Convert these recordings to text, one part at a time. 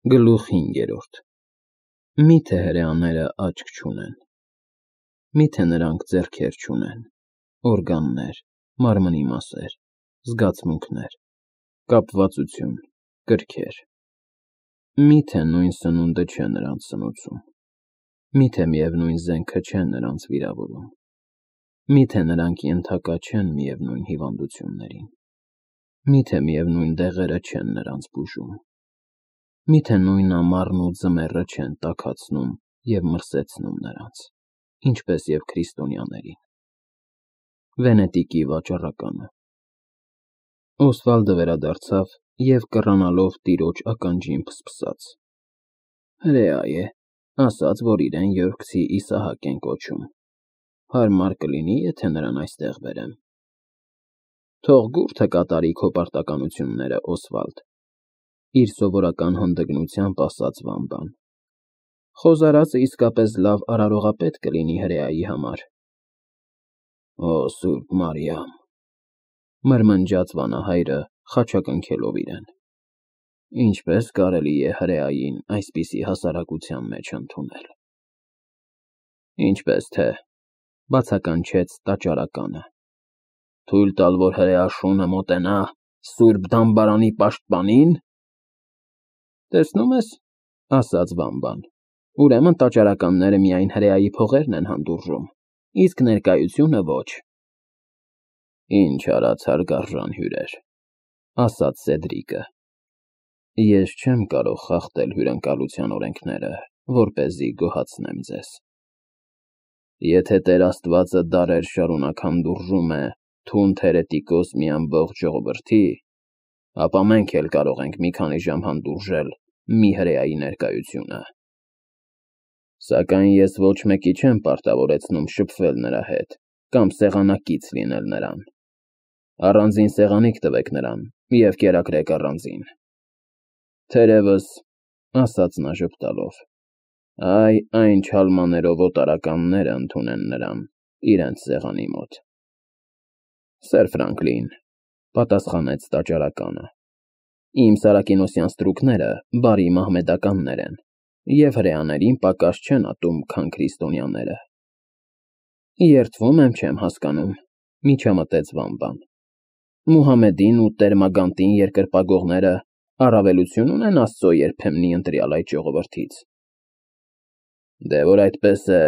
Գլուխ 5. Մի՞թե հրեաները աչք չունեն, մի՞թե նրանք ձեռքեր չունեն, օրգաններ, մարմնի մասեր, զգացմունքներ, կապվածություն, կրքեր, մի՞թե նույն սնունդը չէ նրանց սնուցում, մի՞թե միևնույն զենքը չէ նրանց վիրավորում, մի՞թե նրանք ենթակա չեն միևնույն հիվանդություններին, մի՞թե միևնույն դեղերը չեն նրանց բուժում, մի՞թե նույն ամառն ու ձմեռը չեն տաքացնում և մրսեցնում նրանց, ինչպես և քրիստոնյաներին։ Վենետիկի վաճառականը Օսվալդը վերադարձավ և կռանալով տիրոջ ականջին փսփսաց. Հրեա է, ասաց, որ իրեն Յորքցի Իսահակ են կոչում, հարմար կլինի, եթե նրան այստեղ բերեմ։ Թող գուրդը կատարի քո պարտականությունները, Օսվալդ, իր սովորական հանդգնությամբ ասաց Վամբան։ Խոզարածը իսկապես լավ արարողապետ կլինի հրեայի համար։ Օ Սուրբ Մարիամ, մրմնջաց վանահայրը, խաչակնքելով իրեն, ինչպես կարելի է հրեային այսպիսի հասարակության մեջ ընդունել։ Ինչպես թե, բացականչեց տաճարականը, թույլ տալ, որ հրեա շունը մոտենա Սուրբ Դամբարանի պաշտպանին։ Տեսնում ես, ասաց Վամբան, ուրեմն տաճարականները միայն հրեայի փողերն են հանդուրժում, իսկ ներկայությունը ոչ։ Ինչ արած հարգարժան հյուրեր, ասաց Սեդրիկը, ես չեմ կարող խախտել հյուրընկալության օրենքները, որպեսզի գոհացնեմ ձեզ։ Եթե Տեր Աստվածը դարեր շարունակ հանդուրժում է թունդ հերետիկոս մի ամբողջ ժողովրդի, ապա մենք էլ կարող ենք մի քանի ժամ հանդուրժել մի հրեայի ներկայությունը։ Սակայն ես ոչ մեկի չեմ պարտավորեցնում շփվել նրա հետ կամ սեղանակից լինել նրան։ Առանձին սեղանիկ տվեք նրան և կերակրեք առանձին։ Թերևս, ասաց նա ժպտալով, այն չալմաներով օտարականները ընդունեն նրան իրենց սեղանի մոտ։ Սեր Ֆրանկլին, պատասխանեց տաճարականը, իմ Սարակինոսյան ստրուկները բարի մահմեդականներ են և հրեաներին պակաս չեն ատում, քան քրիստոնյաները։ Երդվում եմ չեմ հասկանում, միջամտեց Վամբան։ Մուհամեդին ու Տեր-Մագանտին երկրպագողները առավելություն ունեն Աստծո երբեմնի ընտրյալ այդ ժողովրդից։ Դե որ այդպես է,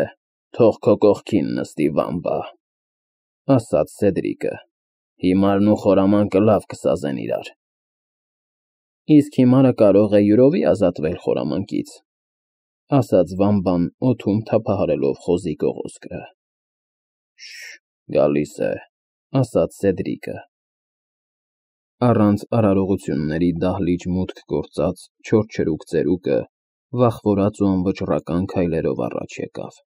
թող քո կողքին նստի Վամբա, ասաց Սեդրիկը, հիմարն ու խորամանկը լավ կսազեն իրար։ Իսկ հիմարը կարող է յուրովի ազատվել խորամանկից, ասաց Վամբան օդում թափահարելով խոզի կողոսկրը։ Գալիս է, ասաց Սեդրիկը։ Առանց արարողությունների դահլիճ մուտք գործած չորչրուկ ծերուկը վախվորած ու անվճռական քայլերով առաջ եկավ։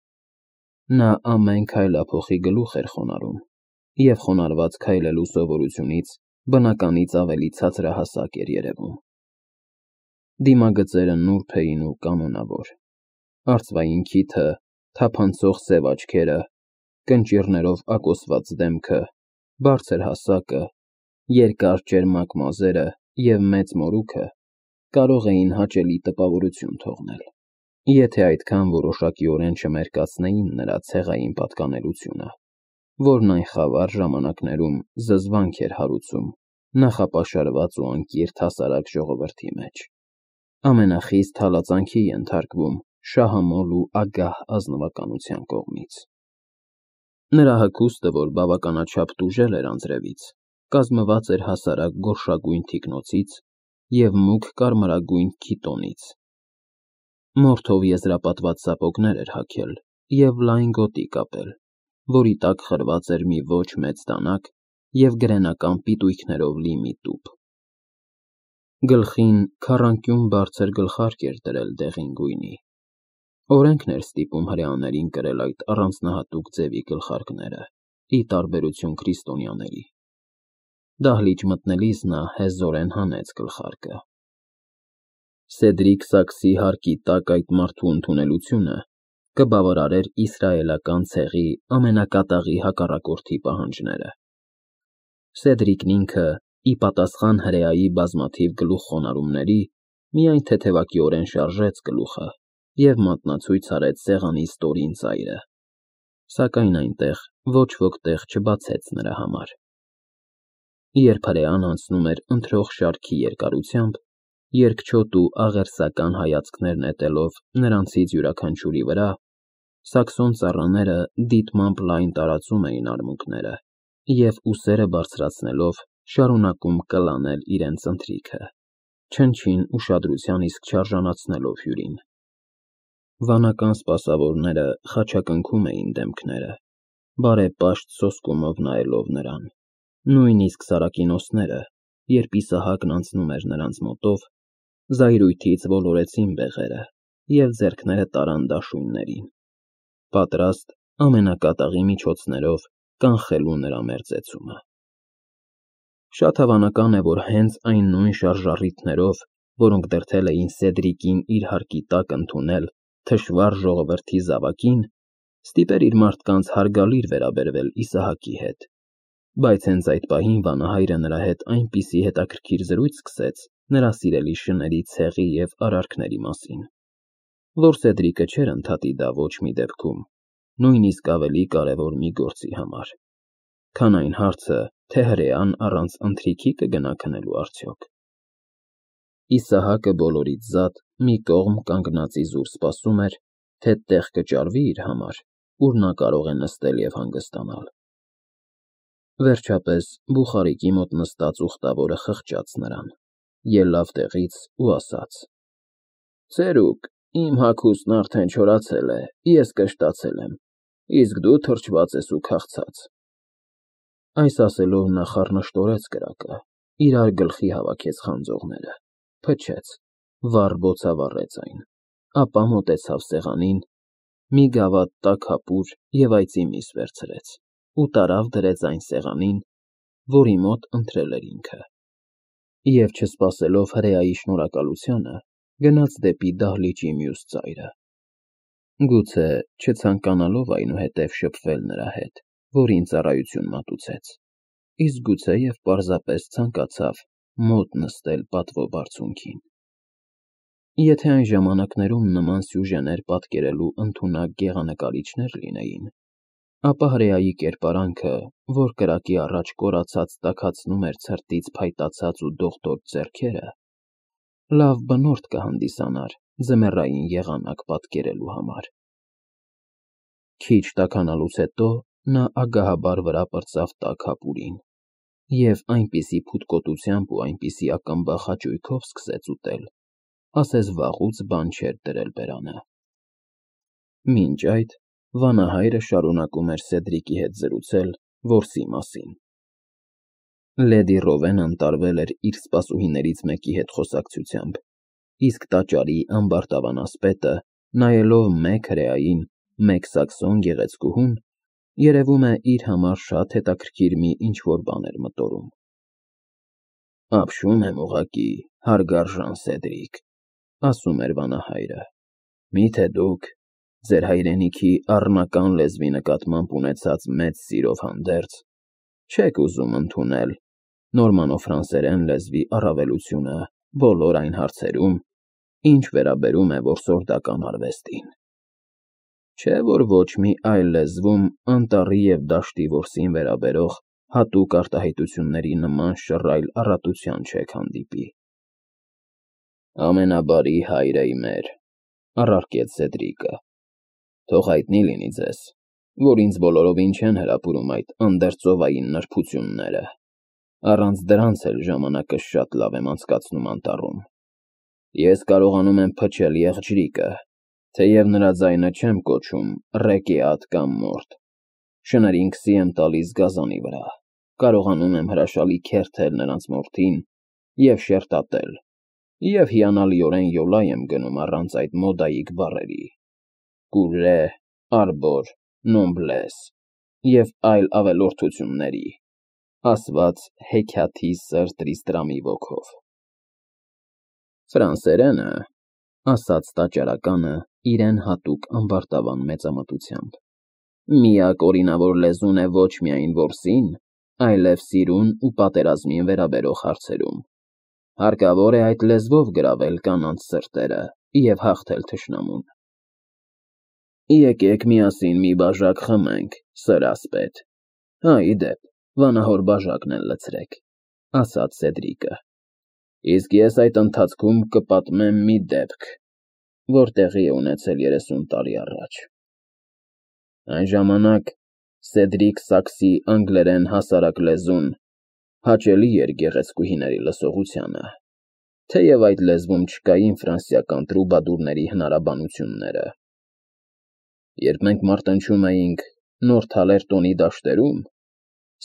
Նա ամեն քայլափոխի գլուխ էր խոնարհում և խոնարհված քայլելու սովորությունից բնականից ավելի ցածրահասակ էր երևում։ Դիմագծերը նուրբ էին ու կանոնավոր, արծվային քիթը, թափանցող սև աչքերը, կնճիռներով ակոսված դեմքը, բարձր հասակը, երկար ճերմակ մազերը և մեծ մորուքը կարող էին հաճելի տպավորություն թողնել, եթե այդքան որոշակիորեն չմերկացնեին նրա ցեղային պատկանելությունը, որն այն խավար ժամանակներում զզվանք էր հարուցում նախապաշարված ու անկիրթ հասարակ ժողովրդի մեջ, ամենախիստ հալածանքի ենթարկվում շահամոլ ու ագահ ազնվականության կողմից։ Նրա հագուստը, որ բավականաչափ տուժել էր անձրևից, կազմված էր հասարակ գորշագույն թիկնոցից և մուգ կարմրագույն քիտոնից։ Մորթով եզրապատված սապոգներ էր հագել և լայն գոտի կապել, որի տակ խրված էր մի ոչ մեծ դանակ և գրենական պիտույքներով լի մի տուփ։ Գլխին քառանկյուն բարձր գլխարկ էր դրել դեղին գույնի։ Օրենքն էր ստիպում հրեաներին կրել այդ առանձնահատուկ ձևի գլխարկները, ի տարբերություն քրիստոնյաների։ Դահլիճ մտնելիս նա հեզորեն հանեց գլխարկը։ Սեդրիկ Սաքսի հարկի տակ այդ մարդու ընդունելությունը կբավարարեր իսրայելական ցեղի ամենակատաղի հակառակորդի պահանջները։ Սեդրիկն ինքը, ի պատասխան հրեայի բազմաթիվ գլուխ խոնարհումների, միայն թեթևակիորեն շարժեց գլուխը և մատնացույց արեց սեղանի ստորին ծայրը, սակայն այնտեղ ոչ ոք տեղ չբացեց նրա համար։ Երբ հրեան անցնում էր ընթրող շարքի երկարությամբ, երկչոտ ու աղերսական հայացքներ նետելով նրանցից յուրաքանչյուրի վրա, սաքսոն ծառաները դիտմամբ լայն տարածում էին արմունկները և ուսերը բարձրացնելով շարունակում կլանել իրենց ընթրիքը, չնչին ուշադրության իսկ չարժանացնելով հյուրին։ Վանական սպասավորները խաչակնքում էին դեմքները, բարեպաշտ սոսկումով նայելով նրան, նույնիսկ սարակինոսները, երբ Իսահակն անցնում էր նրանց մոտով, զայրույթից ոլորեցին բեղերը և ձեռքները տարան դաշույններին, պատրաստ ամենակատաղի միջոցներով կանխելու նրա մերձեցումը։ Շատ հավանական է, որ հենց այն նույն շարժառիթներով, որոնք դրդել էին Սեդրիկին իր հարկի տակ ընդունել թշվառ ժողովրդի զավակին, ստիպեր իր մարդկանց հարգալիր վերաբերվել Իսահակի հետ, բայց հենց այդ պահին վանահայրը նրա հետ այնպիսի հետաքրքիր զրույց սկսեց նրա սիրելի շների ցեղի և արարքների մասին, որ Սեդրիկը չէր ընդհատի դա ոչ մի դեպքում, նույնիսկ ավելի կարևոր մի գործի համար, քան այն հարցը, թե հրեան առանց ընթրիքի կգնա քնելու արդյոք։ Իսահակը բոլորից զատ մի կողմ կանգնած իզուր սպասում էր, թե տեղ կճարվի իր համար, ուր նա կարող է նստել և հանգստանալ։ Վերջապես բուխարիկի մոտ նստած ուխտավորը խղճաց նրան, ելավ տեղից ու ասաց. «Ծերուկ, իմ հագուստն արդեն չորացել է, ես կշտացել եմ, իսկ դու թրջված ես ու քաղցած»։ Այս ասելով նա խառնշտորեց կրակը, իրար գլխի հավաքեց խանձողները, փչեց, վառ բոցավառեց այն, ապա մոտեցավ սեղանին, մի գավաթ տաք հապուր և այծի միս վերցրեց ու տարավ դրեց այն սեղանին, որի մոտ ընթրել էր ինքը, և չսպասելով հրեայի շնորհակալությանը, գնաց դեպի դահլիճի մյուս ծայրը, գուցե չցանկանալով այնուհետև շփվել նրա հետ, որին ծառայություն մատուցեց, իսկ գուցե և պարզապես ցանկացավ մոտ նստել պատվո բարձունքին։ Եթե այն ժամանակներում նման սյուժեներ պատկերելու ընդունակ գեղանկարիչներ լինեին, ապա հրեայի կերպարանքը, որ կրակի առաջ կորացած տաքացնում էր ցրտից փայտացած ու դողդոջ ձեռքերը, լավ բնորդ կհանդիսանար ձմեռային եղանակ պատկերելու համար։ Քիչ տաքանալուց հետո նա ագահաբար վրա պրծավ տաք հապուրին և այնպիսի փութկոտությամբ ու այնպիսի ակմբախ հաճույքով սկսեց ուտել, ասես վաղուց բան չէր դրել բերանը։ Մինչ այդ վանահայրը շարունակում էր Սեդրիկի հետ զրուցել որսի մասին։ Լեդի Ռովենն ընտարվել էր իր սպասուհիներից մեկի հետ խոսակցությամբ, իսկ տաճարի ամբարտավան ասպետը, նայելով մեկ հրեային, մեկ սաքսոն գեղեցկուհուն, երևում է իր համար շատ հետաքրքիր մի ինչ-որ բան էր մտորում։ «Ապշում եմ ուղղակի, հարգարժան Սեդրիկ», ասում էր վանահայրը, «միթե դուք, ձեր հայրենիքի առնական լեզվի նկատմամբ ունեցած մեծ սիրով հանդերձ, չեք ուզում ընդունել նորմանո֊ֆրանսերեն լեզվի առավելությունը բոլոր այն հարցերում, ինչ վերաբերում է որսորդական արվեստին։ Չէ՞ որ ոչ մի այլ լեզվում անտառի և դաշտի որսին վերաբերող հատուկ արտահայտությունների նման շռայլ առատության չեք հանդիպի»։ «Ամենաբարի հայրը իմեր», առարկեց Սեդրիկը, «թող հայտնի լինի ձեզ, որ ինձ բոլորովին չեն հրապուրում այդ անդերձովային նրբությունները, առանց դրանց էլ ժամանակս շատ լավ եմ անցկացնում անտառում։ Ես կարողանում եմ փչել եղջրիկը, թեև նրա ձայնը չեմ կոչում ռեկեատ կամ մորթ, շներին քսի եմ տալիս գազանի վրա, կարողանում եմ հրաշալի քերթել նրանց մորթին և շերտատել և հիանալիորեն յոլա եմ գնում առանց այդ մոդայիկ բառերի՝ կուրրե, արբոր, նոմբլես և այլ ավելորդությունների, ասված հեքիաթի սր Տրիստրամի ոգով»։ «Ֆրանսերենը», ասաց տաճարականը իրեն հատուկ ամբարտավան մեծամտությամբ, «միակ օրինավոր լեզուն է ոչ միայն որսին, այլև սիրուն ու պատերազմին վերաբերող հարցերում։ Հարկավոր է այդ լեզվով գրավել կանանց սրտերը և հաղթել թշնամուն։ Եկեք միասին մի բաժակ խմենք, սր ասպետ։ Հա, ի դեպ, վանահոր բաժակն էլ լցրեք, ասաց Սեդրիկը։ Իսկ ես այդ ընթացքում կպատմեմ մի դեպք, որ տեղի է ունեցել 30 տարի առաջ։ Այն ժամանակ Սեդրիկ Սաքսի անգլերեն հասարակ լեզուն հաճելի էր գեղեցկուհիների լսողությանը, թեև այդ լեզվում չկային ֆրանսիական տրուբադուրների հնարաբանությունները։ Երբ մենք մարտնչում էինք Նորթալերտոնի դաշտերում,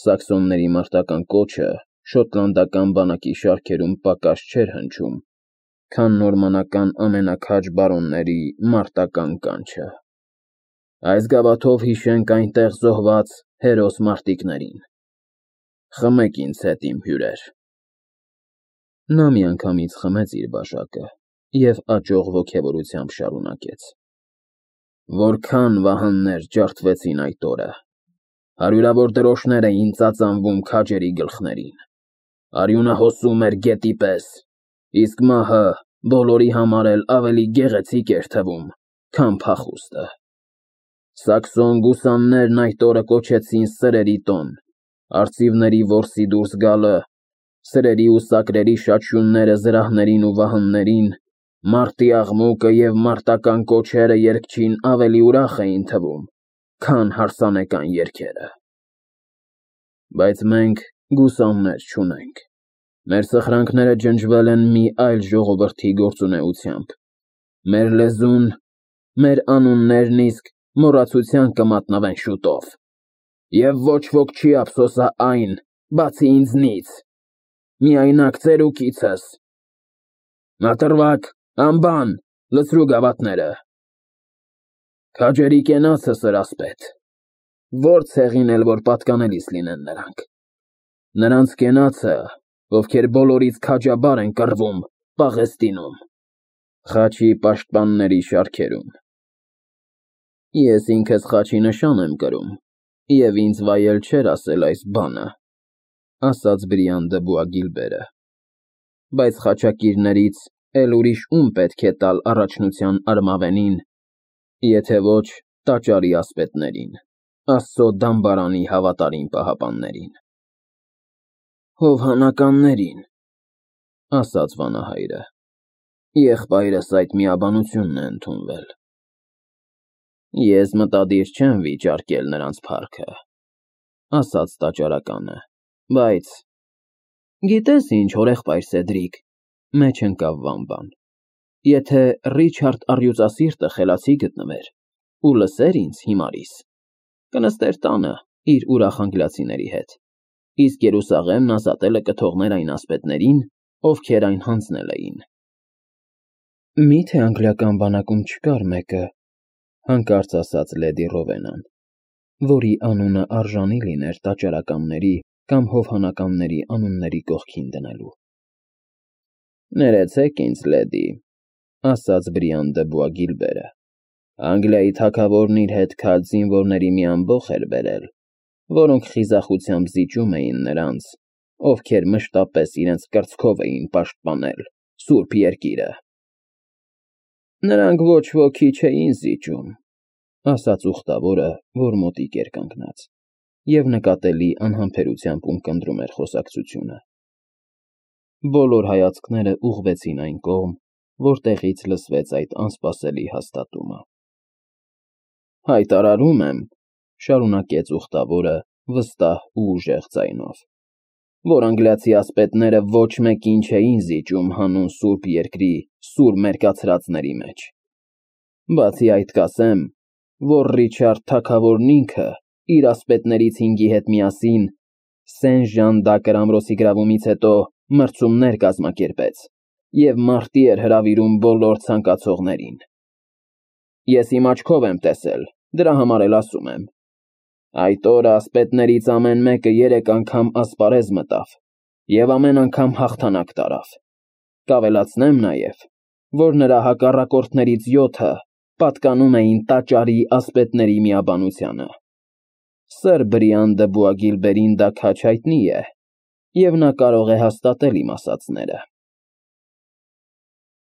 սաքսոնների մարտական կոչը շոտլանդական բանակի շարքերում պակաս չէր հնչում, քան նորմանական ամենաքաջ բարոնների մարտական կանչը։ Այս գավաթով հիշենք այնտեղ զոհված հերոս մարտիկներին։ Խմեք ինձ հետ, իմ հյուրեր։ Նա միանգամից խմեց իր բաժակը և աճող ոգևորությամբ շարունակեց. Որքան վահաններ ջարդվեցին այդ օրը, հարյուրավոր դրոշներ էին ծածանվում քաջերի գլխներին, արյունը հոսում էր գետի պես, իսկ մահը բոլորի համար էլ ավելի գեղեցիկ էր թվում, քան փախուստը։ Սաքսոն գուսաններն այդ օրը կոչեցին սրերի տոն, արծիվների որսի դուրս գալը, սրերի ու սակրերի շաչյունները զրահներին ու վահաններին, մարտի աղմուկը և մարտական կոչերը երգչին ավելի ուրախ էին թվում, քան հարսանեկան երգերը։ Բայց մենք գուսաններ չունենք։ Մեր սխրանքները ջնջվել են մի այլ ժողովրդի գործունեությամբ։ Մեր լեզուն, մեր անուններն իսկ մոռացության կմատնվեն շուտով։ Եվ ոչ ոք չի ափսոսա այն, բացի ինձնից, միայնակ ծերուկիցս։ Ատրվակ, անբան, լցրու գավաթները։ Քաջերի կենացը, սր ասպետ, որ ցեղին էլ որ պատկանելիս լինեն նրանք։ Նրանց կենացը, ովքեր բոլորից քաջաբար են կռվում Պաղեստինում, խաչի պաշտպանների շարքերում։ Ես ինքս խաչի նշան եմ կրում, և ինձ վայել չէր ասել այս բանը, ասաց Բրիան դը Բուագիլբերը, բայց խաչակիրներից էլ ուրիշ ում պետք է տալ առաջնության արմավենին, եթե ոչ տաճարի ասպետներին, Աստծո դամբարանի հավատարիմ պահապաններին։ Հովհանականներին, ասաց վանահայրը, եղբայրս այդ միաբանությունն է ընդունվել։ Ես մտադիր չեմ վիճարկել նրանց փառքը, ասաց տաճարականը, բայց… Գիտես ինչ, հորեղբայր Սեդրիկ, մեջ ընկավ Վամբան, եթե Ռիչարդ առյուծասիրտը խելացի գտնվեր ու լսեր ինձ հիմարիս, կնստեր տանը իր ուրախ անգլիացիների հետ, իսկ Երուսաղեմն ազատելը կթողներ այն ասպետներին, ովքեր այն հանձնել էին։ Միթե անգլիական բանակում չկար մեկը, հանկարծ ասաց լեդի Ռովենան, որի անունը արժանի լիներ տաճարականների կամ հովհանականների անունների կողքին դնելու։ Ներեցեք ինձ, լեդի, ասաց Բրիան դը Բուագիլբերը, Անգլիայի թագավորն իր հետ քաջ զինվորների մի ամբոխ էր բերել, որոնք խիզախությամբ զիջում էին նրանց, ովքեր մշտապես իրենց կրծքով էին պաշտպանել Սուրբ Երկիրը։ Նրանք ոչ ոքի չէին զիջում, ասաց ուխտավորը, որ մոտիկ էր կանգնած, և նկատելի անհամբերությամբ ունկնդրում էր խոսակցությունը։ Բոլոր հայացքները ուղղվեցին այն կողմ, որտեղից լսվեց այդ անսպասելի հաստատումը։ Հայտարարում եմ, շարունակեց ուխտավորը վստահ ու ուժեղ ձայնով, որ անգլիացի ասպետները ոչ մեկին չէին զիջում հանուն Սուրբ Երկրի սուր մերկացրածների մեջ։ Բացի այդ կասեմ, որ Ռիչարդ թագավորն ինքը իր ասպետներից 5-ի հետ միասին Սեն-Ժան դ'Ակր ամրոցի գրավումից հետո մրցումներ կազմակերպեց և մարտի էր հրավիրում բոլոր ցանկացողներին։ Ես իմ աչքով եմ տեսել, դրա համար էլ ասում եմ։ Այդ օրը ասպետներից ամեն մեկը 3 անգամ ասպարեզ մտավ և ամեն անգամ հաղթանակ տարավ։ Կավելացնեմ նաև, որ նրա հակառակորդներից 7-ը պատկանում էին տաճարի ասպետների միաբանությանը։ Սր Բրիան դը Բուագիլբերին դա քաջ հայտնի է, և նա կարող է հաստատել իմ ասածները։